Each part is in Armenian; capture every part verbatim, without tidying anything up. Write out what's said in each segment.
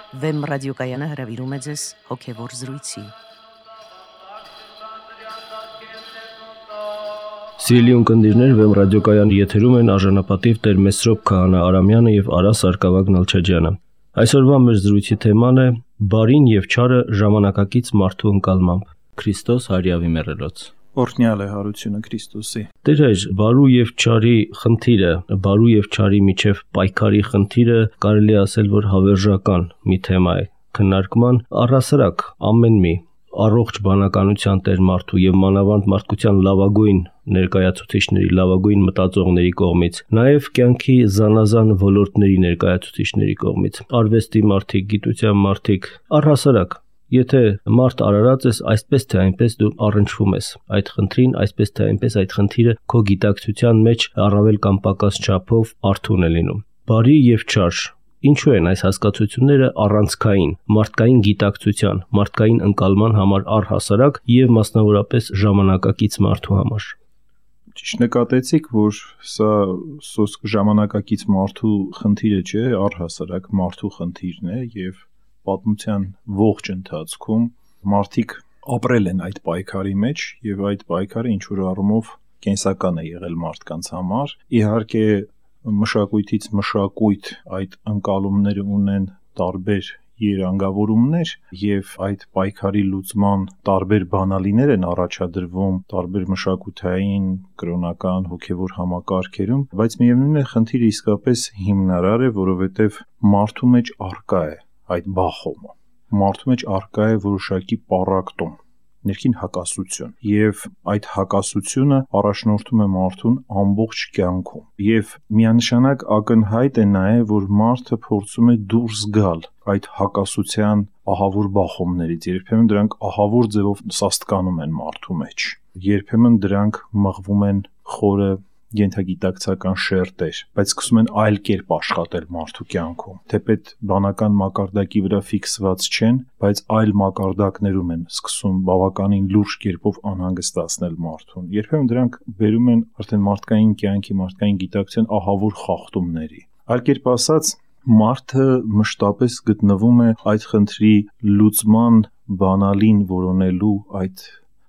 Վեմ ռադիոկայանը հրավիրում է ձեզ հոգևոր զրույցի։ Սիրելի ունկնդիրներ, Վեմ ռադիոկայանի եթերում են արժանապատիվ Տեր Մեսրոպ Քահանա Արամյանը եւ Արա Սարգսակ Նալչաջյանը։ Այսօրվա մեր զրույցի թեման է բարին եւ չարը ժամանակակից մարդու ընկալմամբ։ Քրիստոս հարյավի մեռելոց։ Օրհնյալ է հարությունը Քրիստոսի։ Տեր հայր, բարու եւ չարի խնդիրը, բարու եւ չարի միջև պայքարի խնդիրը կարելի է ասել, որ հավերժական մի թեմա է քննարկման առհասարակ ամեն մի առողջ բանականության տեր մարդու եւ մանավանդ մարդկության լավագույն ներկայացուցիչների, լավագույն մտածողների կողմից, նաեւ կյանքի զանազան ոլորտների ներկայացուցիչների կողմից, արվեստի մարդիկ, գիտության մարդիկ, առհասարակ, եթե մարդ արարած ես, այսպես թե այնպես դու առնչվում ես այդ խնդրին, այսպես թե այնպես այդ խնդիրը քո գիտակցության մեջ առավել կամ պակաս չափով արթուն է լինում։ Բարի եւ չար Ինչու են այս հասկացությունները առանցքային, մարդկային գիտակցության, մարդկային ընկալման համար առհասարակ եւ մասնավորապես ժամանակակից մարդու համար։ Ճիշտ նկատեցիք, որ սա սոսկ ժամանակակից մարդու խնդիրը չէ, առհասարակ մարդու խնդիրն է եւ պատմության ողջ ընթացքում մարդիկ ապրել են այդ պայքարի մեջ եւ այդ պայքարը ինչ որ առումով կենսական է եղել մարդկանց համար։ Իհարկե մշակույթից մշակույթ այդ ընկալումները ունեն տարբեր երանգավորումներ եւ այդ պայքարի լուծման տարբեր բանալիներ են առաջադրվում տարբեր մշակութային, կրոնական, հոգեվոր համակարգերում, բայց միևնույն է խնդիրը իսկապես հիմնարար է, որովհետեւ մարդու մեջ առկա է այդ բախոմը։ Մարդու մեջ առկա է որոշակի պառակտում, ներքին հակասություն եւ այդ հակասությունը առաջնորդում է մարդուն ամբողջ կյանքում եւ միանշանակ ակնհայտ է նաեւ որ մարդը փորձում է դուրս գալ այդ հակասության ահավոր բախոմներից երբեմն դրանք ահավոր ձևով սաստկանում են մարդու մեջ երբեմն դրանք մղվում են խորը ենթագիտակցական շերտեր, բայց սկսում են այլ կերպ աշխատել մարդու կյանքում։ Թեպետ բանական մակարդակի վրա ֆիքսված չեն, բայց այլ մակարդակներում են սկսում բավականին լուրջ կերպով անհանգստացնել մարդուն։ Երբեմն դրանք բերում են արդեն մարդկային կյանքի, մարդկային գիտակցության ահավոր խախտումների։ Այլ կերպ ասած, մարդը մշտապես գտնվում է այդ խնդրի լուծման բանալին որոնելու այդ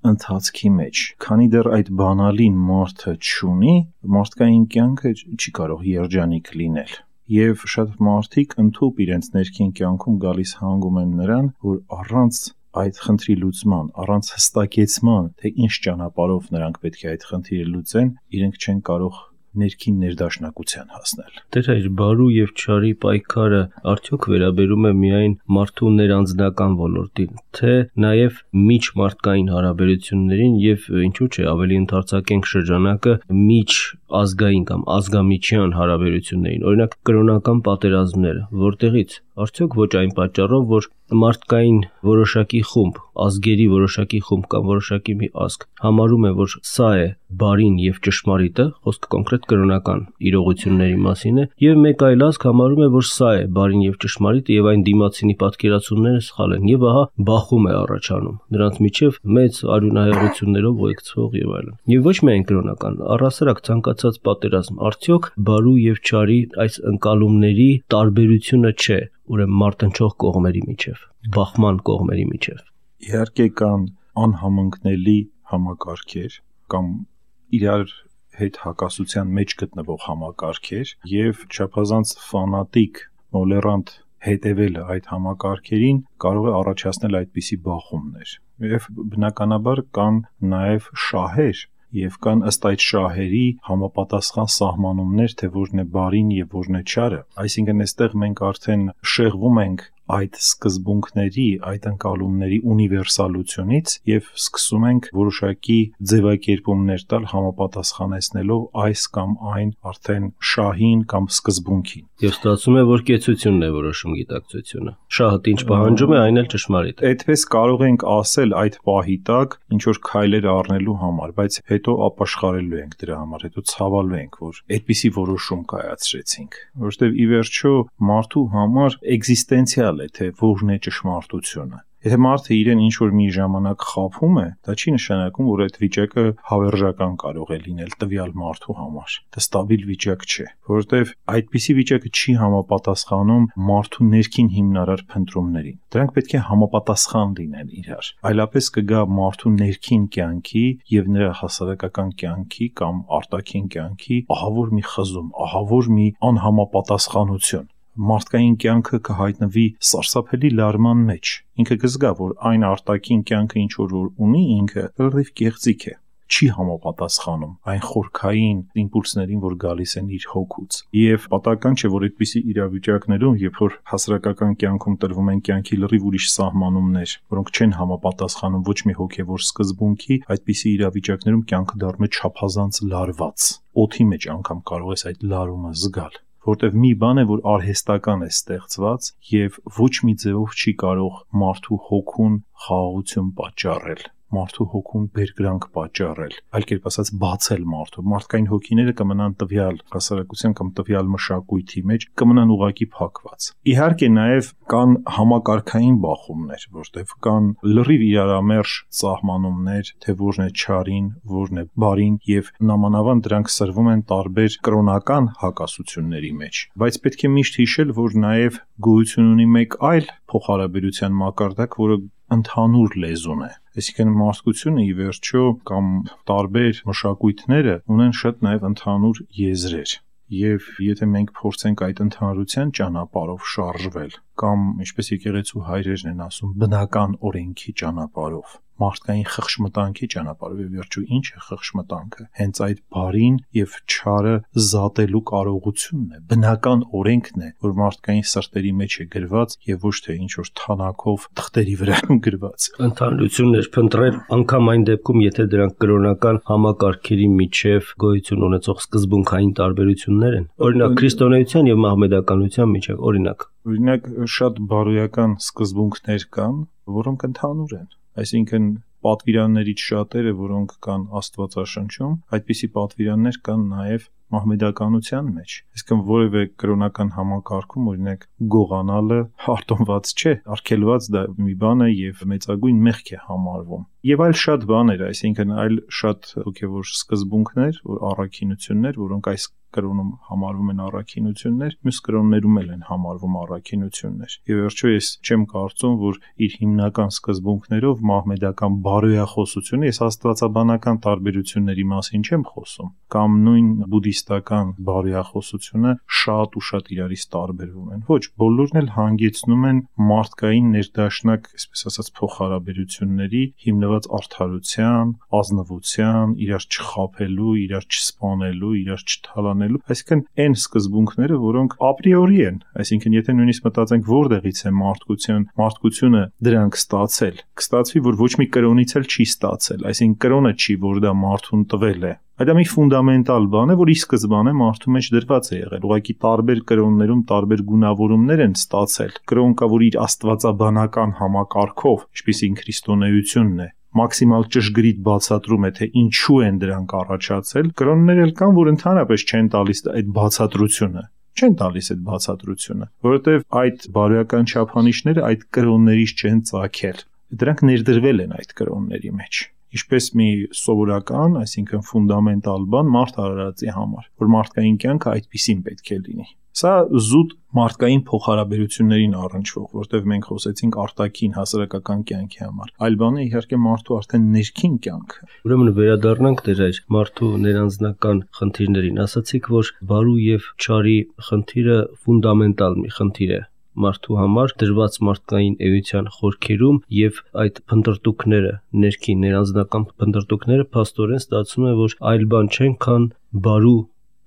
ընթացքի մեջ, քանի դեռ այդ բանալին մարդը չունի, մարդկային կյանքը չի կարող երջանիկ լինել։ Եվ շատ մարդիկ ընդհուպ իրենց ներքին կյանքում գալիս հանգում են նրան, որ առանց այդ խնդրի լուծման, առանց հստակեցման, թե ինչ ճանապարհով նրանք պետք է այդ խնդիրը լուծեն, իրենք չեն կարող ներքին ներդաշնակության հասնել։ Տեր հայր, բարու եւ չարի պայքարը արդյոք վերաբերում է միայն մարդու ներանձնական ոլորտին, թե նաեւ միջմարդկային հարաբերություններին եւ ինչու՞ չէ ավելի ընդարձակենք շրջանակը միջ ազգային կամ ազգամիջյան հարաբերություններին, օրինակ կրոնական պատերազմները, որտեղից արդյոք ոչ այն պատճառով, որ մարդկային որոշակի խումբ, ազգերի որոշակի խումբ կամ որոշակի մի ազգ համարում է, որ սա է բարին եւ ճշմարիտը, խոսքը կոնկրետ կրոնական իրողությունների մասին է, եւ մեկ այլ ազգ համարում է, որ սա է բարին եւ ճշմարիտը եւ այն դիմացինի պատկերացումները սխալ են եւ ահա բախում է առաջանում։ Դրանց միջև մեծ արյունահեղություններով ուղեկցող եւ այլն։ Եվ ոչ միայն կրոնական, առհասարակ ցանկացած պատերազմ, արդյոք բարու եւ չարի այս ընկալումների տարբերությունը չէ, ուրեմն մարտնչող կողմերի միջև, բախման կողմերի միջև։ Իհարկե կան անհամընկնելի համակարգեր կամ իրար հետ հակասության մեջ գտնվող համակարգեր եւ չափազանց ֆանատիկ, մոլերանտ հետևելը այդ համակարգերին կարող է առաջացնել այդպիսի բախումներ։ Եվ բնականաբար կան նաեւ շահեր եւ կան ըստ այդ շահերի համապատասխան սահմանումներ, թե որն է բարին եւ որն է չարը։ Այսինքն այստեղ մենք արդեն շեղվում ենք այդ սկզբունքների, այդ ընկալումների ունիվերսալությունից եւ սկսում ենք որոշակի ձևակերպումներ տալ համապատասխանեցնելով այս կամ այն արդեն շահին կամ սկզբունքին։ Եվ ստացվում է, որ կեցությունն է որոշում գիտակցությունը։ Շահը ինչ պահանջում է, այն էլ ճշմարիտ է։ Այդպես կարող ենք ասել այդ պահի տակ ինչ որ քայլեր առնելու համար, բայց հետո ապաշխարելու ենք դրա համար, հետո ցավալու ենք, որ այդպիսի որոշում կայացրեցինք, որովհետեւ ի վերջո մարդու համար էգզիստենցիալ է, թե որն է ճշմարտությունը։ Եթե մարդը իրեն ինչ որ մի ժամանակ խաբում է, դա չի նշանակում, որ այդ վիճակը հավերժական կարող է լինել տվյալ մարդու համար։ Դա ստաբիլ վիճակ չէ, որովհետև այդպիսի վիճակը չի համապատասխանում մարդու ներքին հիմնարար փնտրումներին։ Դրանք պետք է համապատասխան լինեն իրար։ Այլապես կգա մարդու ներքին կյանքի եւ նրա հասարակական կյանքի կամ արտաքին կյանքի ահավոր մի խզում, ահավոր մի անհամապատասխանություն։ Մարդկային կյանքը կհայտնվի սարսափելի լարման մեջ։ Ինքը կզգա, որ այն արտաքին կյանքը ինչ որ ունի, ինքը լրիվ կեղծիք է, չի համապատասխանում այն խորքային իմպուլսներին, որ գալիս են իր հոգուց։ Եվ պատահական չէ, որ այդպիսի իրավիճակներում, երբ որ հասարակական կյանքում տրվում են կյանքի լրիվ ուրիշ սահմանումներ, որոնք չեն համապատասխանում ոչ մի հոգևոր սկզբունքի, այդպիսի իրավիճակներում կյանքը դառնում է չափազանց լարված։ Օդի մեջ անգամ կարող ես այդ լարումը զգալ, որտեվ մի բան է, որ արհեստական է ստեղծված եւ ոչ մի ձևով չի կարող մարդու հոգուն խաղաղություն պատճառել, մարդու հոգուն բերկրանք պատճառել, այլ կերպ ասած բացել մարդու։ Մարդկային հոգիները կմնան տվյալ հասարակության կամ տվյալ մշակույթի մեջ, կմնան ուղակի փակված։ Իհարկե նաեւ կան համակարգային բախումներ, որտեղ կան լրիվ իրարամերժ սահմանումներ, թե որն է չարին, որն է բարին, եւ նամանավան դրանք սրվում են տարբեր կրոնական հակասությունների մեջ։ Բայց պետք է միշտ հիշել, որ նաեւ գոյություն ունի մեկ այլ փոխհարաբերության մակարդակ, որը ընդհանուր լեզուն է։ Այսինքն մարդկությունը ի վերջո կամ տարբեր մշակույթները ունեն շատ նաև ընդհանուր եզրեր։ Եվ եթե մենք փորձենք այդ ընդհանրության ճանապարհով շարժվել, կամ ինչպես եկեղեցու հայրերն են ասում, բնական օրենքի ճանապարհով, մարդկային խղճմտանքի ճանապարհով, եւ վերջո ինչ է խղճմտանքը։ Հենց այդ բարին եւ չարը զատելու կարողությունն է, բնական օրենքն է, որ մարդկային սրտերի մեջ է գրված եւ ոչ թե ինչ որ թանակով թղթերի վրա գրված։ Ընդհանրություններ փնտրել անգամ այն դեպքում, եթե դրանք կրոնական համակարգերի միջև գոյություն ունեցող սկզբունքային տարբերություններ են։ Օրինակ քրիստոնեության եւ մահմեդականության միջև, օրինակ Օրինակ շատ բարոյական սկզբունքներ կան, որոնք ընդհանուր են։ Այսինքն պատվիրաններից շատերը, որոնք կան Աստվածաշնչում, այդպիսի պատվիրաններ կան նաև մահմեդականության մեջ։ Այսինքն որևէ կրոնական համակարգում, օրինակ գողանալը արտոնված չէ, արգելված դա մի բան է եւ մեծագույն մեղք է համարվում։ Եվ այլ շատ բաներ, այսինքն այլ շատ հոգեվոր սկզբունքներ, որ առաքինություններ, որոնք այս կրոնում համարվում են առաքինություններ, մյուս կրոններում էլ են համարվում առաքինություններ։ Եվ վերջո ես չեմ կարծում, որ իր հիմնական սկզբունքներով մահմեդական բարոյախոսությունը, ես աստվածաբանական տարբերությունների մասին չեմ խոսում, կամ նույն բուդդիստական բարոյախոսությունը շատ ու շատ իրարից տարբերվում են։ Ոչ, բոլորն էլ հանգեցնում են մարդկային ներդաշնակ, այսպես ասած, փոխհարաբերությունների հիմնված արդարության, ազնվության, իրար չխաբելու, իրար չսպանելու, իրար չթալանելու, այսինքն այն սկզբունքները, որոնք ապրիորի են, այսինքն եթե նույնիսկ մտածենք որտեղից է մարդկության, մարդկությունը դրանք ստացել, կստացվի, որ ոչ մի կրոնից էլ չի ստացել, այսինքն կրոնը չի, որ դա մարդուն տվել է։ Այդ մի ֆունդամենտալ բան է, որ ի սկզբանե մարդու մեջ դրված է եղել։ Ուղղակի տարբեր կրոններում տարբեր գունավորումներ են ստացել։ Կրոն կա, որ իր աստվածաբանական համակարգով, ինչպիսին քրիստոնեությունն է, մաքսիմալ ճշգրիտ բացատրում է, թե ինչու են դրանք առաջացել։ Կրոններ էլ կան, որ ընդհանրապես չեն տալիս այդ բացատրությունը։ Չեն տալիս այդ բացատրությունը, որովհետև այդ բարոյական չափանիշները այդ կրոններից չեն ծագել։ Դրանք ներդրվել են այդ կրոնների մեջ։ Ինչպես մի սովորական, այսինքն ֆունդամենտալ բան մարդ արարածի համար, որ մարդկային կյանքը այդպիսին պետք է լինի։ Սա զուտ մարդկային փոխհարաբերություններին առնչվող, որտեղ մենք խոսեցինք արտաքին հասարակական կյանքի համար։ Այլ բանը իհարկե մարդու արդեն ներքին կյանքը։ Ուրեմն վերադառնանք դեր այս մարդու ներանձնական խնդիրներին։ Ասացիք, որ բարու եւ չարի խնդիրը ֆունդամենտալ մի խնդիր է մարդու համար դրված մարդկային էության խորքերում եւ այդ փնտրտուքները, ներքին ներանձնական փնտրտուքները փաստորեն ստացվում է, որ այլ բան չեն, քան բարու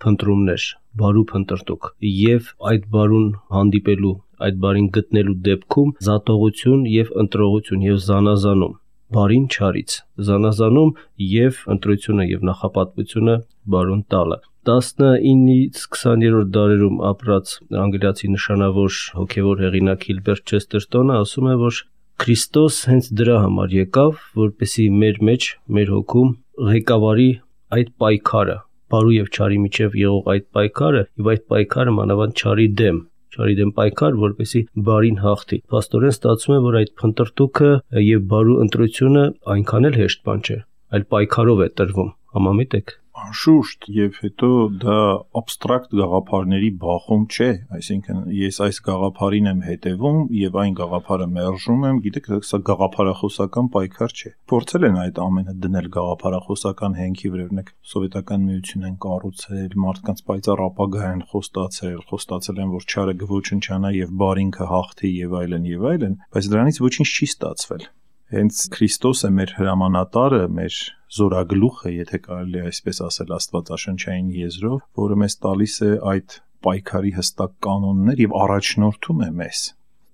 փնտրումներ, բարու փնտրտուք եւ այդ բարուն հանդիպելու, այդ բարին գտնելու դեպքում զատողություն եւ ընտրողություն եւ զանազանում բարին չարից, զանազանում եւ ընտրությունը եւ նախապատվությունը բարուն տալը։ տասնինից քսաներորդ դարերում ապրած անգլիացի նշանավոր հոգևոր հեղինակ Հիլբերտ Չեստերտոնը ասում է, որ Քրիստոս հենց դրա համար եկավ, որպեսզի մեր մեջ, մեր հոգում ղեկավարի այդ պայքարը, բարու եւ չարի միջև եղող այդ պայքարը, եւ այդ պայքարը մանավանդ չարի դեմ, չարի դեմ պայքար, որպեսզի բարին հաղթի։ Փաստորեն ստացվում է, որ այդ փնտրտուքը եւ բարու ընտրությունը այնքան էլ հեշտ բան չէ, այլ պայքարով է տրվում։ Համամիտ եք։ Անշուշտ, եւ հետո դա абստրակտ գաղափարների բախում չէ, այսինքն ես այս գաղափարին եմ հետևում եւ այն գաղափարը մերժում եմ, գիտեք, սա գաղափարախոսական պայքար չէ։ Փորձել են այդ ամենը դնել գաղափարախոսական հենքի վրա, օրինակ Սովետական միություն են կառուցել, մարդկանց պայծառ ապագա են խոստացել, խոստացել են, որ չարը կոչնչանա եւ բարին կհաղթի եւ այլն եւ այլն, բայց դրանից ոչինչ չի ստացվել։ Հենց Քրիստոսը մեր հրամանատարը, մեր զորագլուխը, եթե կարելի է այսպես ասել աստվածաշնչային եզրով, որը մեզ տալիս է այդ պայքարի հստակ կանոններ եւ առաջնորդում է մեզ։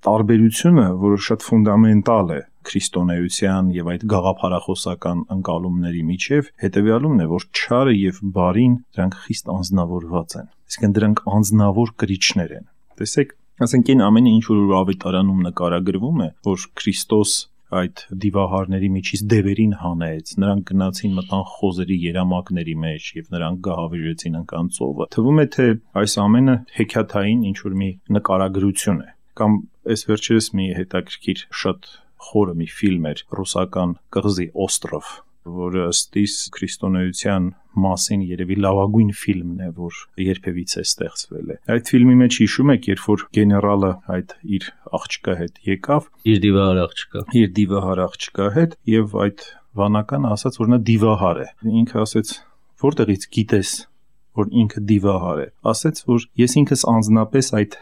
Տարբերությունը, որը շատ ֆունդամենտալ է քրիստոնեության եւ այդ գաղափարախոսական ընկալումների միջև, հետեւյալումն է, որ չարը եւ բարին դրանք խիստ անձնավորված են։ Այսինքն դրանք անձնավոր կրիչներ են։ Տեսեք, ասենք այն ամենը, ինչ որ ավետարանում նկարագրվում է, որ Քրիստոս այդ դիվահարների միջից դևերին հանեց, նրանք գնացին մտան խոզերի երամակների մեջ եւ նրանք գահավիժեցին ընկան ծովը։ Թվում է, թե այս ամենը հեքիաթային ինչ-որ մի նկարագրություն է, կամ այս վերջերս մի հետաքրքիր շատ խորը մի ֆիլմ էր ռուսական կղզի Օստրով, որը ըստ իս քրիստոնեության մասին երևի լավագույն ֆիլմն է, որ երբևիցե ստեղծվել է։ Այդ ֆիլմի մեջ հիշում եք, երբ որ գեներալը այդ իր աղջկա հետ եկավ, իր դիվահար աղջկա, իր դիվահար աղջկա հետ, եւ այդ վանականը ասաց, որ նա դիվահար է։ Ինքը ասաց, որտեղից գիտես, որ ինքը դիվահար է։ Ասաց, որ ես ինքս անձնապես այդ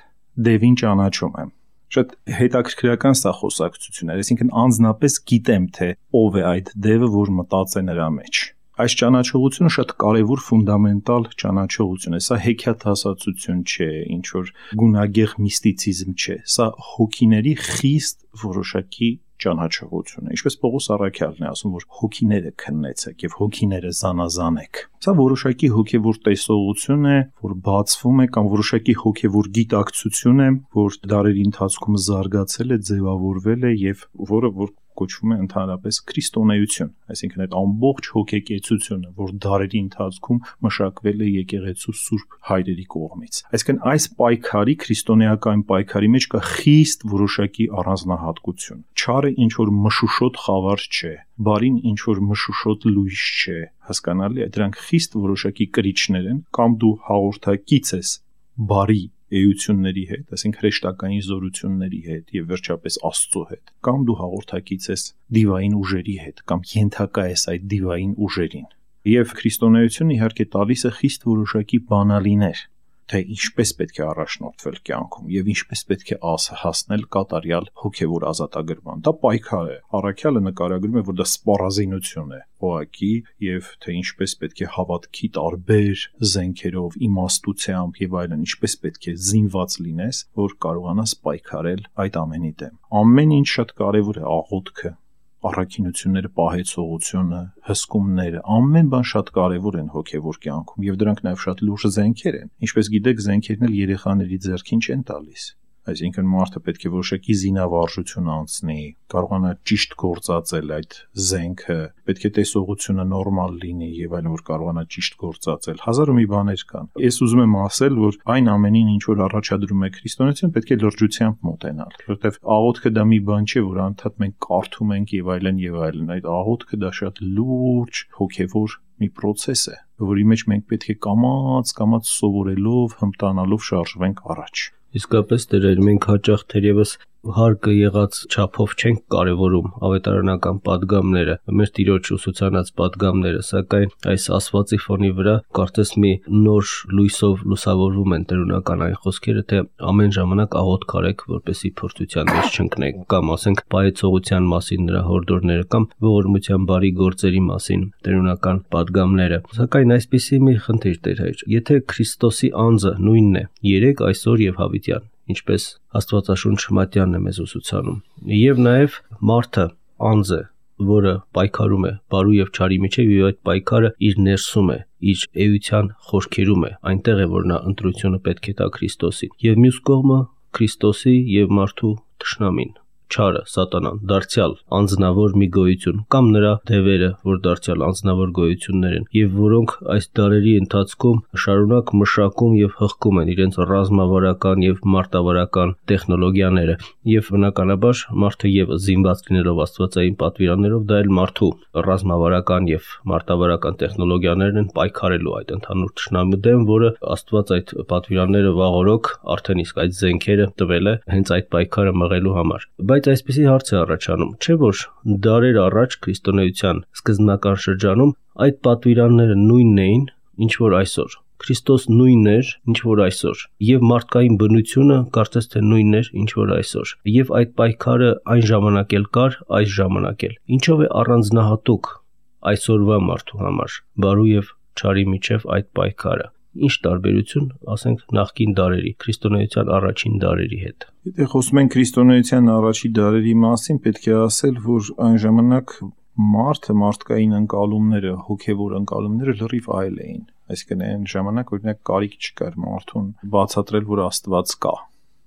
դևին ճանաչում եմ։ Շատ հետաքրքրական սա խոսակցություն է, այսինքն անձնապես գիտեմ, թե ով է այդ դևը, որ մտած է նրա մեջ։ Այս ճանաչողությունը շատ կարևոր ֆունդամենտալ ճանաչողություն է, սա հեքիաթասացություն չէ, ինչ որ գունագեղ միստիցիզմ չէ, սա հոգիների խիստ որոշակի ճանաչողություն է, ինչպես Պողոս առաքյալն է ասում, որ հոգիները քննեցեք եւ հոգիները զանազանեք։ Սա որոշակի հոգեվոր տեսողություն է, որ բացվում է, կամ որոշակի հոգեվոր գիտակցություն է, որ դարերի ընթացքում զարգացել է, ձևավորվել է եւ որը որ կոչվում է ընդհանրապես քրիստոնեություն, այսինքն այդ ամբողջ հոգեկեցությունը, որ դարերի ընթացքում մշակվել է եկեղեցու սուրբ հայրերի կողմից։ Այսինքն այս պայքարի, քրիստոնեական պայքարի մեջ կա խիստ որոշակի առանձնահատկություն։ Չարը ինչ որ մշուշոտ խավար չէ, բարին ինչ որ մշուշոտ լույս չէ, հասկանալի է, դրանք խիստ որոշակի կրիչներ են, կամ դու հաղորդակից ես բարի էությունների հետ, այսինքն հրեշտակային զորությունների հետ եւ վերջապես Աստծո հետ, կամ դու հաղորդակից ես դիվային ուժերի հետ, կամ ենթակա ես այդ դիվային ուժերին։ Եվ քրիստոնեությունը իհարկե տալիս է խիստ որոշակի բանալիներ, թե ինչպես պետք է առաջնորդվել կյանքում եւ ինչպես պետք է հասնել կատարյալ հոգեվոր ազատագրման։ Դա պայքար է։ Առաքյալը նկարագրում է, որ դա սպառազինություն է, ուղղակի, եւ թե ինչպես պետք է հավատքի տարբեր զենքերով, իմաստությամբ եւ այլն, ինչպես պետք է զինված լինես, որ կարողանաս պայքարել այդ ամենի դեմ։ Ամեն ինչ շատ կարեւոր է, աղոթքը, առաքինությունները, պահեցողությունը, հսկումները, ամեն բան շատ կարևոր են հոգևոր կյանքում եւ դրանք նաեւ շատ լուրջ զենքեր են։ Ինչպես գիտեք, զենքերն էլ երեխաների ձեռքին չեն տալիս։ Այսինքն մարդը պետք է որոշակի զինավարժություն անցնի, կարողանա ճիշտ գործածել այդ զենքը, պետք է տեսողությունը նորմալ լինի եւ այլն, որ կարողանա ճիշտ գործածել։ Հազար ու մի բաներ կան։ Ես ուզում եմ ասել, որ այն ամենին, ինչ որ առաջադրում է քրիստոնեություն, պետք է լրջությամբ մոտենալ, որովհետեւ աղոթքը դա մի բան չէ, որ անդադ մենք կարդում ենք եւ այլն եւ այլն։ Այդ աղոթքը դա շատ լուրջ հոգեվոր մի process է, որի մեջ մենք պետք է կամաց, կամաց սովորելով, հմտանալով շարժվենք առաջ։ Իսկապես դերեր մենք հաճախ թերևս հարկը եղած չափով չենք կարևորում ավետարանական падգամները, մեր Տիրոջ ուսուցանած падգամները, սակայն այս ասվածի ֆոնի վրա կարծես մի նոր լույսով լուսավորվում են տերունական այն խոսքերը, թե ամեն ժամանակ աղոթք արեք, որպեսզի փորձության մեջ չընկնեք, կամ ասենք պայծողության մասին նրա հորդորները, կամ ողորմության բարի գործերի մասին տերունական падգամները։ Սակայն այսպիսի մի խնդիր Տեր հայր, եթե Քրիստոսի անձը նույնն է երեք, այսօր եւ հավիտյան, ինչպես Աստվածաշունչ Մատյանն է մեզ ուսուցանում, եւ նաեւ մարդը անձը, որը պայքարում է բարու եւ չարի միջեւ, եւ այդ պայքարը իր ներսում է, իր էության խորքերում է, այնտեղ է, որ նա ընտրությունը պետք է տա Քրիստոսին, եւ մյուս կողմը Քրիստոսի եւ մարդու թշնամին, չարը, սատանան, դարձյալ անձնավոր մի գոյություն կամ նրա դևերը, որ դարձյալ անձնավոր գոյություններ են, եւ որոնք այս դարերի ընթացքում շարունակ մշակում եւ հղկում են իրենց ռազմավարական եւ մարտավարական տեխնոլոգիաները, եւ բնականաբար մարդը եւս զինված լինելով աստվածային պատվիրաններով, դա էլ մարդու ռազմավարական եւ մարտավարական տեխնոլոգիաներն են պայքարելու այդ ընդհանուր թշնամու դեմ, որը Աստված այդ պատվիրանները վաղօրոք արդեն իսկ այդ զենքերը տվել է հենց այդ պայքարը մղելու համար։ Բայց այսպեսի հարց է առաջանում, չէ՞ որ դարեր առաջ քրիստոնեության սկզբնական շրջանում այդ պատվիրանները նույնն էին, ինչ որ այսօր։ Քրիստոս նույնն էր, ինչ որ այսօր, եւ մարդկային բնությունը կարծես թե նույնն էր, ինչ որ այսօր, եւ այդ պայքարը այն ժամանակ էլ կար, այս ժամանակ էլ։ Ինչով է առանձնահատուկ այսօրվա մարդու համար բարու եւ չարի միջև այդ պայքարը։ Ինչ տարբերություն, ասենք, նախկին դարերի, քրիստոնեության առաջին դարերի հետ։ Եթե խոսում ենք քրիստոնեության առաջին դարերի մասին, պետք է ասել, որ այն ժամանակ մարդը, մարդկային ընկալումները, հոգևոր ընկալումները լրիվ այլ էին։ Այսինքն այն ժամանակ օրինակ կարիք չկար մարդուն բացատրել, որ Աստված կա։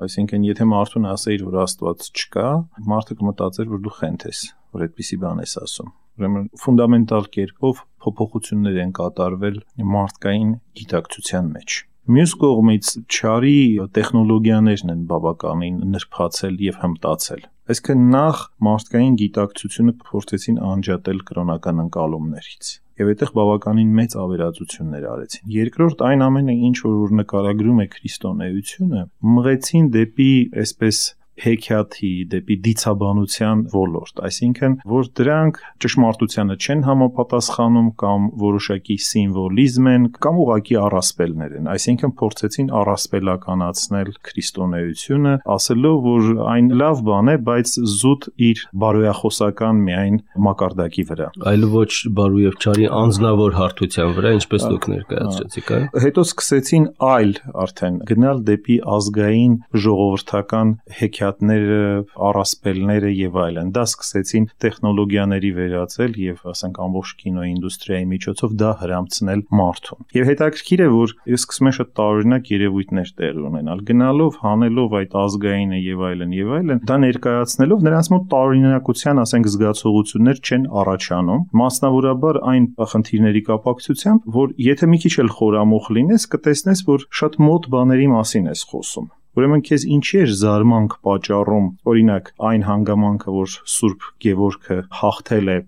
Այսինքն եթե մարդուն ասեիր, որ Աստված չկա, մարդը կմտածեր, որ դու խենթ ես, որ այդպիսի բան ես ասում։ Ուրեմն ֆունդամենտալ կերպով փոփոխություններ են կատարվել մարդկային գիտակցության մեջ։ Մյուս կողմից չարի տեխնոլոգիաներն են բավականին նրբացել եւ հմտացել։ Այսինքն նախ մարդկային գիտակցությունը փորձեցին անջատել կրոնական ընկալումներից եւ այդտեղ բավականին մեծ ավերածություններ արեցին։ Երկրորդ, այն ամենը, ինչ որ նկարագրում է քրիստոնեությունը, մղեցին դեպի այսպես հեքիաթի, դեպի դիցաբանության ոլորտ, այսինքն, որ դրանք ճշմարտությանը չեն համապատասխանում կամ որոշակի սիմվոլիզմ են կամ ուղղակի առասպելներ են, այսինքն փորձեցին առասպելականացնել քրիստոնեությունը, ասելով, որ այն լավ բան է, բայց զուտ իր բարոյախոսական միայն մակարդակի վրա։ Այլ ոչ բարու եւ չարի անձնավոր հարթության վրա, ինչպես դուք ներկայացրեցիք, այ։ Հետո սկսեցին այլ արդեն գնալ դեպի ազգային ժողովրդական հեքիաթ առասպելները եւ այլն։ Դա սկսեցին տեխնոլոգիաների վերածել եւ ասենք ամբողջ կինոինդուստրիայի միջոցով դա հրամցնել մարդուն։ Եվ հետաքրքիր է, որ սկսում են շատ տարօրինակ երևույթներ տեղի ունենալ, գնալով, հանելով այդ ազգայինը եւ այլն եւ այլն, դա ներկայացնելով նրանց մոտ տարօրինակության, ասենք, զգացողություններ չեն առաջանում, մասնավորաբար այն խնդիրների կապակցությամբ, որ եթե մի քիչ էլ խորամուխ լինես, կտեսնես, որ շատ մոտ բաների մասին ես խոսում։ Ուրեմն քեզ ինչի էր զարմանք պատճառում, օրինակ, այն հանգամանքը, որ Սուրբ Գևորգը հաղթել է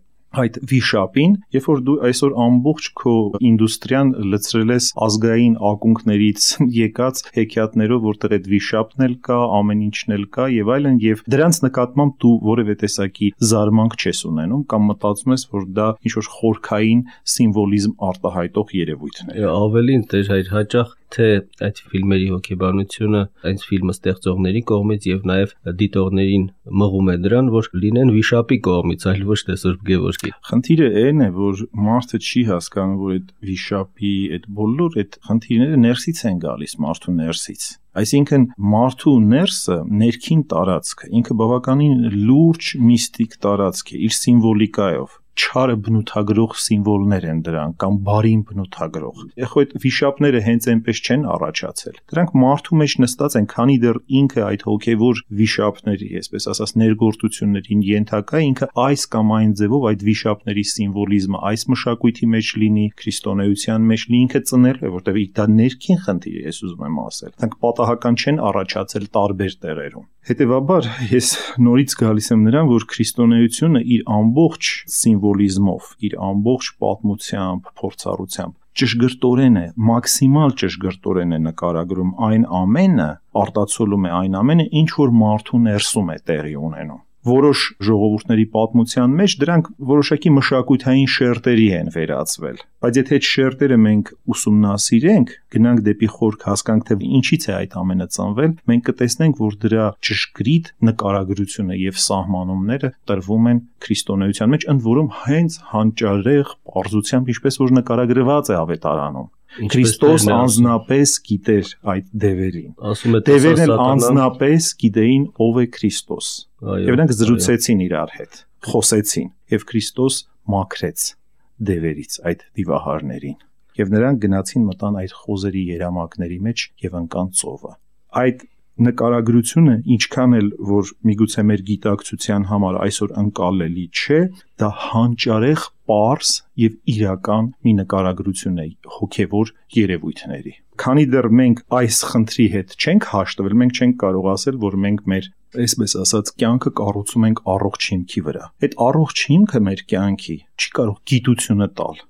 այդ վիշապին, երբ որ դու այսօր ամբողջ քո ինդուստրիան լցրել ես ազգային ակունքներից եկած հեքիաթներով, որտեղ այդ վիշապն էլ կա, ամեն ինչն էլ կա եւ այլն, եւ դրանց նկատմամբ դու որևէ տեսակի զարմանք չես ունենում կամ մտածում ես, որ դա ինչ որ խորքային սիմվոլիզմ արտահայտող երևույթն է։ Ավելին դեր այդ հաճախ թե այդ ֆիլմերի հոգեբանությունը այս ֆիլմը ստեղծողների կողմից եւ նաեւ դիտողներին մղում է դրան, որ լինեն վիշապի կողմից, այլ ոչ թե Սուրբ Գևորգի։ Խնդիրը այն է, որ մարդը չի հասկանում, որ այդ վիշապի այդ բոլոր այդ խնդիրները ներսից են գալիս, մարդու ներսից։ Այսինքն մարդու ներսը, ներքին տարածքը, ինքը բավականին լուրջ միստիկ տարածք է, իր սիմվոլիկայով։ Չարը բնութագրող սիմվոլներ են դրանք կամ բարին բնութագրող։ Ეხո այդ վիշապները հենց այնպես չեն առաջացել։ Դրանք մարդու մեջ նստած են, քանի դեռ ինքը այդ հոգևոր վիշապների, այսպես ասած, ներգործություններին ենթակա, ինքը այս կամ այն ձևով այդ վիշապների սիմվոլիզմը այս մշակույթի մեջ լինի, քրիստոնեության մեջ լինի, ինքը ծնել է, որտեղ դա ներքին խնդիր է, ես ուզում եմ ասել։ Դրանք պատահական չեն առաջացել տարբեր տեղերում։ Հետևաբար ես նորից գալիս եմ նրան, որ քրիստոնեությունը իր ամբողջ սիմվոլիզմով, իր ամբողջ պատմությամբ, փորձառությամբ ճշգրտորեն է, մաքսիմալ ճշգրտորեն է նկարագրում այն ամենը, արտացոլում է այն ամենը, ինչ որ մարդու ներսում է տեղի ունենում։ Որոշ ժողովուրդների պատմության մեջ դրանք որոշակի մշակութային շերտերի են վերածվել, բայց եթե այդ շերտերը մենք ուսումնասիրենք, գնանք դեպի խորք հասկանք, թե ինչից է այդ ամենը ծնվել, մենք կտեսնենք, որ դրա ճշգրիտ նկարագրությունը եւ սահմանումները տրվում են քրիստոնեության մեջ, ընդ որում հենց հանճարեղ պարզությամբ, ինչպես որ նկարագրված է Ավետարանում։ Քրիստոս անձնապես գիտեր այդ դևերին։ Ասում է դևերն էլ անձնապես գիտեին ով է Քրիստոս։ Եվ նրանք զրուցեցին իրար հետ, խոսեցին, եւ Քրիստոս մաքրեց դևերից այդ դիվահարներին։ Եվ նրանք գնացին մտան այդ խոզերի երամակների մեջ եւ ընկան ծովը։ Այդ նկարագրությունը ինչքան էլ որ միգուցե մեր գիտակցության համար այսօր ընկալելի չէ, դա հանճարեղ, պարզ եւ իրական մի նկարագրություն է հոգեվոր երևույթների։ Քանի դեռ մենք այս խնդրի հետ չենք հաշտվել, մենք չենք կարող ասել, որ մենք մեր, այսպես ասած, կյանքը կառուցում ենք առողջ հիմքի վրա։ Այդ առողջ հիմքը մեր կյանքի չի կարող գիտությունը տալ։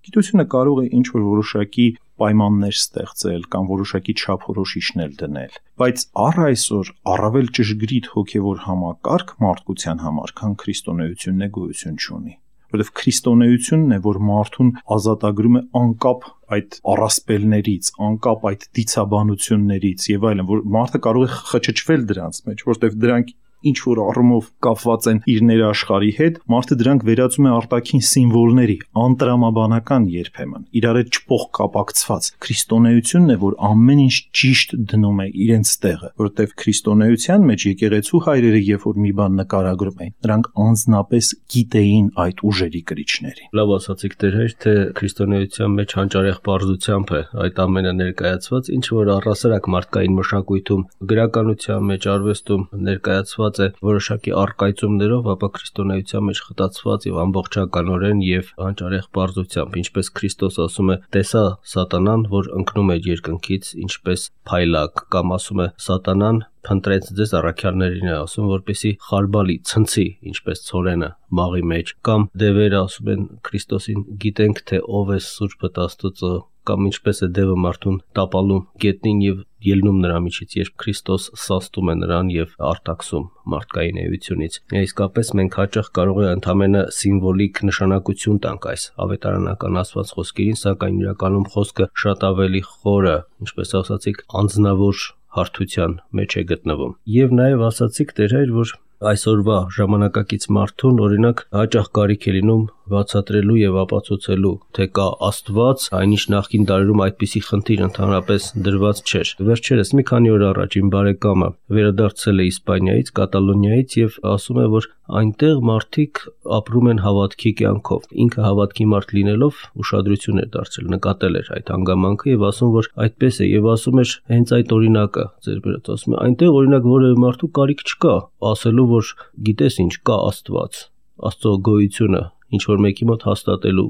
Գիտությունը կարող է ինչ-որ որոշակի պայմաններ ստեղծել կամ որոշակի չափորոշիչներ դնել, բայց առ այսօր առավել ճշգրիտ հոգևոր համակարգ մարդկության համար, քան քրիստոնեությունն է, գոյություն չունի, որովհետև քրիստոնեությունն է, որ մարդուն ազատագրում է անկապ այդ առասպելներից, անկապ այդ դիցաբանություններից եւ այլն, որ մարդը կարող է խճճվել դրանց մեջ, որովհետև դրանք ինչ որ առումով կապված են իր ներաշխարհի հետ, մարդը դրանք վերածում է արտաքին սիմվոլների, անտրամաբանական երբեմն, իրար հետ չփոխկապակցված։ Քրիստոնեությունն է, որ ամեն ինչ ճիշտ դնում է իրենց տեղը, որովհետև քրիստոնեության մեջ եկեղեցու հայրերը, երբ որ մի բան նկարագրում էին, նրանք անձնապես գիտեին այդ ուժերի կրիչներին։ Լավ ասացիք Տեր հայր, թե քրիստոնեության մեջ հանճարեղ բարձրությամբ է այդ ամենը ներկայացված, ինչ որ առասարակ մարդկային մշակույթում, գրականության մեջ, արվեստում ներկայացված է որոշակի առկայծումներով, ապա քրիստոնեության մեջ խտացված եւ ամբողջականորեն եւ հանճարեղ բարձրությամբ, ինչպես Քրիստոս ասում է, տեսա սատանան, որ ընկնում է երկնքից, ինչպես փայլակ, կամ ասում է սատանան փնտրեց ձեզ առաքյալներին է ասում, որպեսի խարբալի ցնցի, ինչպես ցորենը մաղի մեջ, կամ դևերը ասում են Քրիստոսին, գիտենք թե ով է Սուրբը Աստծո, կամ ինչպես է դևը մարդուն տապալում գետնին եւ ելնում նրա միջից, երբ Քրիստոս սաստում է նրան եւ արտաքսում մարդկային էությունից։ Իսկապես մենք հաճախ կարող է ընդամենը սիմվոլիկ նշանակություն տանք այս ավետարանական ասված խոսքերին, սակայն իրականում խոսքը շատ ավելի խորը, ինչպես ասացիք, անձնավոր հարթության մեջ է գտնվում։ Եվ նաև ասացիք Տեր հայր, որ այսօրվա ժամանակակից մարդուն օրինակ հաճախ կարիք է լինում բացատրելու եւ ապացուցելու, թե կա Աստված, այնինչ նախկին դարերում այդպիսի խնդիր ընդհանրապես դրված չէր։ Վերջերս մի քանի օր առաջ իմ բարեկամը վերադարձել է Իսպանիայից, Կատալոնիայից եւ ասում է, որ այնտեղ մարդիկ ապրում են հավատքի կյանքով։ Ինքը հավատքի մարդ լինելով ուշադրություն էր դարձրել, նկատել էր այդ հանգամանքը եւ ասում, որ այդպես է եւ ասում էր հենց այդ օրինակը ձեր բերած, ասում է այնտեղ օրինակ որևէ մարդու կարիք չկա ասելու, որ գիտես ինչ կա Աստված, Աստծո գոյությունը ինչ որ մեկի մոտ հաստատելու,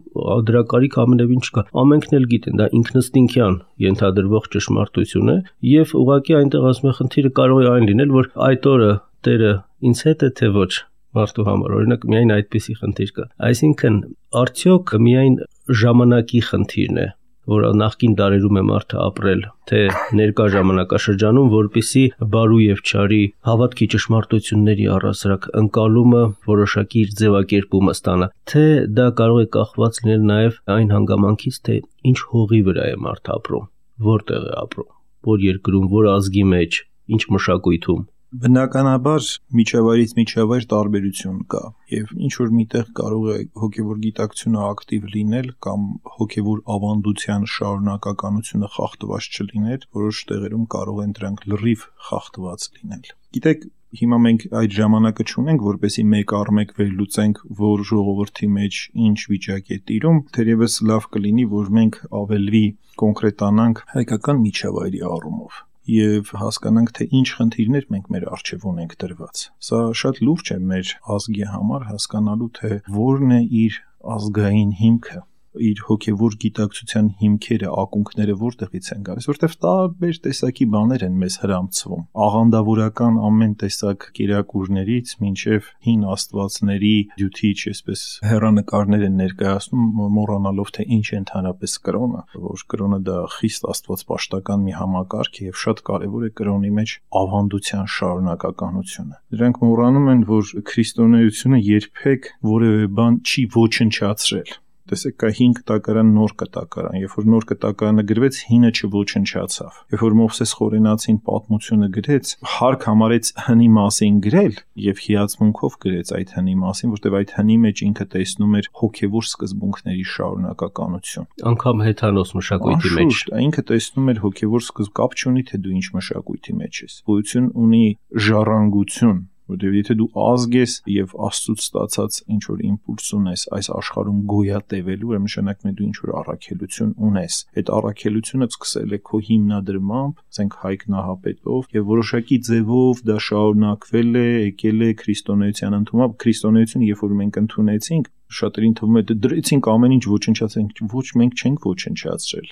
դրա կարիք ամենևին չկա։ Ամենքն էլ գիտեն, դա ինքնըստինքյան ենթադրվող ճշմարտություն է եւ ուղղակի այնտեղ ասում է խնդիրը կարող է այն լինել, որ այդ օրը Տերը ինձ հետ է թե ոչ մարդու համար, օրինակ միայն այդպիսի խնդիր կա։ Այսինքն արդյոք միայն ժամանակի խնդիրն է, որ նախկին դարերում է մարդը ապրել, թե ներկա ժամանակաշրջանում, որպիսի բարու եւ չարի հավատքի ճշմարտությունների առասարակ ընկալումը որոշակի իր ձևակերպումը ստանա, թե դա կարող է կախված լինել նաեւ այն հանգամանքից, թե ինչ հողի վրա է մարդը ապրում, որտեղ է ապրում, որ երկրում, որ ազգի մեջ, ինչ մշակույթում։ Բնականաբար միջավայրից միջավայր տարբերություն կա եւ ինչ որ միտեղ կարող է հոգեվոր գիտակցությունը ակտիվ լինել կամ հոգեվոր ավանդության շարունակականությունը խախտված չլինել, որոշ տեղերում կարող են դրանք լրիվ խախտված լինել։ Գիտեք, հիմա մենք այդ ժամանակը չունենք, որպեսի մեկ առ մեկ վերլուծենք, որ ժողովրդի մեջ ինչ վիճակ է տիրում, թերևս լավ կլինի, որ մենք ավելի կոնկրետանանք հայկական միջավայրի առումով եւ հասկանանք, թե ինչ խնդիրներ մենք մեր առջեւ ունենք դրված։ Սա շատ լուրջ է մեր ազգի համար հասկանալու, թե որն է իր ազգային հիմքը, իր հոգեվոր գիտակցության հիմքերը, ակունքները որտեղից են գալիս, որտեղ տարբեր տեսակի բաներ են մեզ հրամցվում։ Աղանդավորական ամեն տեսակ կերակուրներից մինչև հին աստվածների դյութիչ, այսպես հեռանկարներ են ներկայացնում, մոռանալով թե ինչ է ընդհանրապես կրոնը, որ կրոնը դա խիստ աստվածպաշտական մի համակարգ է եւ շատ կարեւոր է կրոնի մեջ ավանդության շարունակականությունը։ Դրանք մոռանում են, որ քրիստոնեությունը երբեք որևէ բան չի ոչնչացրել։ Տեսեք, կա հին կտակարան, նոր կտակարան, երբ որ նոր կտակարանը գրվեց, հինը չոչնչացավ։ Երբ որ Մովսես Խորենացին պատմությունը գրեց, հարկ համարեց հնի մասին գրել եւ հիացմունքով գրեց այդ հնի մասին, որտեղ այդ հնի մեջ ինքը տեսնում էր հոգեվոր սկզբունքների շարունակականություն։ Անկամ հեթանոս մշակույթի մեջ ինքը տեսնում էր հոգեվոր սկզբ, կապ չունի թե դու ինչ մշակույթի մեջ ես։ Գոյություն ունի ժառանգություն, Որտեղ եթե դու ազգ ես եւ Աստծուց ստացած ինչ որ իմպուլս ունես այս աշխարհում գոյատևելու, ուրեմն նշանակում է դու ինչ որ առաքելություն ունես։ Այդ առաքելությունը սկսել է քո հիմնադրմամբ, ասենք Հայկ Նահապետով, եւ որոշակի ձևով դա շարունակվել է, եկել է քրիստոնեության ընդունումը։ Քրիստոնեությունը, երբ որ մենք ընդունեցինք, շատերին թվում է դրեցինք ամեն ինչ ոչնչացրենք, ոչ, մենք չենք ոչնչացրել։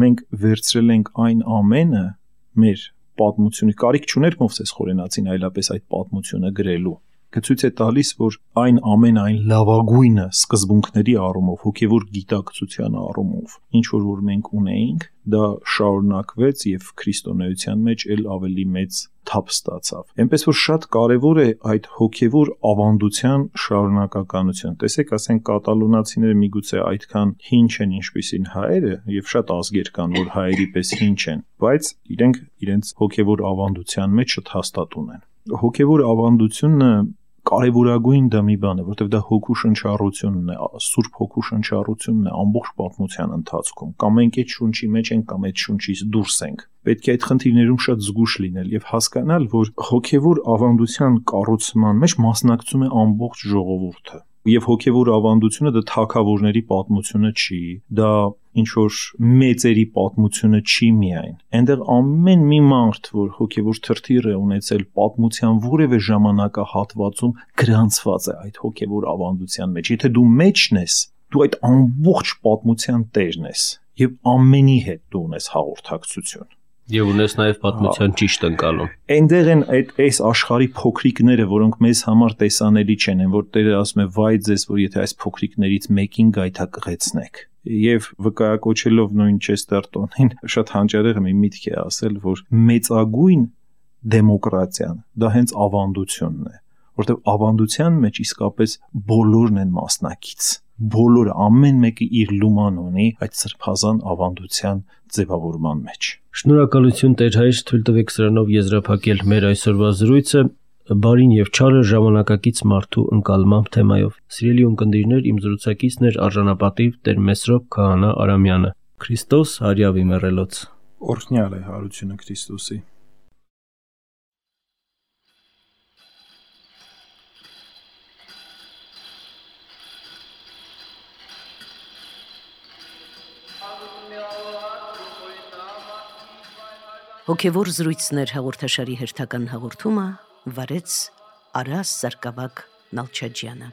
Մենք վերցրել ենք այն ամենը մեր պատմությունը, կարիք չուներ Մովսես Խորենացին այլապես այդ պատմությունը գրելու։ Գցույց է տալիս, որ այն ամեն այն լավագույնը սկզբունքների առումով, հոգևոր գիտակցության առումով, ինչ որ որ մենք ունեինք, դա շարունակվեց եւ քրիստոնեության մեջ ել ավելի մեծ թափ ստացավ։ Էնպես որ շատ կարեւոր է այդ հոգևոր ավանդության շարունակականությունը։ Տեսեք, ասենք կատալոնացիները միգուցե այդքան հին չեն, ինչպիսին հայերը, եւ շատ ազգեր կան, որ հայերի պես հին չեն, բայց իրենք իրենց հոգևոր ավանդության մեջ շատ հաստատ ունեն։ Հոգևոր ավանդությունը կարևորագույն դա մի բան է, որտեղ դա հոգու շնչառությունն է, սուրբ հոգու շնչառությունն է ամբողջ պատմության ընթացքում։ Կամ մենք այդ շունչի մեջ ենք, կամ այդ շունչից դուրս ենք։ Պետք է այդ խնդիրներում շատ զգուշ լինել եւ հասկանալ, որ հոգևոր ավանդության կառուցման մեջ մասնակցում է ամբողջ ժողովուրդը։ Եվ հոգևոր ավանդությունը դա թագավորների պատմությունը չի, դա ինչ որ մեծերի պատմությունը չի միայն։ Այնտեղ ամեն մի մարդ, որ հոգևոր թրթիր է ունեցել պատմության որևէ ժամանակահատվածում, գրանցված է այդ հոգևոր ավանդության մեջ։ Եթե դու մեջն ես, դու այդ ամբողջ պատմության տերն ես եւ ամենի հետ դու ունես հաղորդակցություն։ Եվ ունես նաև պատմության ճիշտ ընկալում։ Այնտեղ են այդ այս աշխարհի փոքրիկները, որոնք մեզ համար տեսանելի չեն, որ Տերը ասում է՝ «Վայ ձեզ, որ եթե այս փոքրիկներից մեկին գայթակղեցնեք»։ Եվ վկայակոչելով նույն Չեստերտոնին, շատ հանճարեղ մի միտք է ասել, որ մեծագույն դեմոկրատիան դա հենց ավանդությունն է, որտեղ ավանդության մեջ իսկապես բոլորն են մասնակից։ Բոլորը, ամեն մեկը իր լուման ունի այդ սրբազան ավանդության ձևավորման մեջ։ Շնորհակալություն Տեր հայր, թույլ տվեք սրանով եզրափակել մեր այսօրվա զրույցը բարին եւ չարը ժամանակակից մարդու ընկալմամբ թեմայով։ Սիրելի ունկնդիրներ, իմ զրուցակիցն էր արժանապատիվ Տեր Մեսրոպ Քահանա Արամյանը։ Քրիստոս հարյավի մեռելոց։ Օրհնյալ է հարությունը Քրիստոսի։ Հոգևոր զրույցներ հաղորդաշարի հերթական հաղորդումը վարեց Արաս Սարգսակ Նալչաջյանը։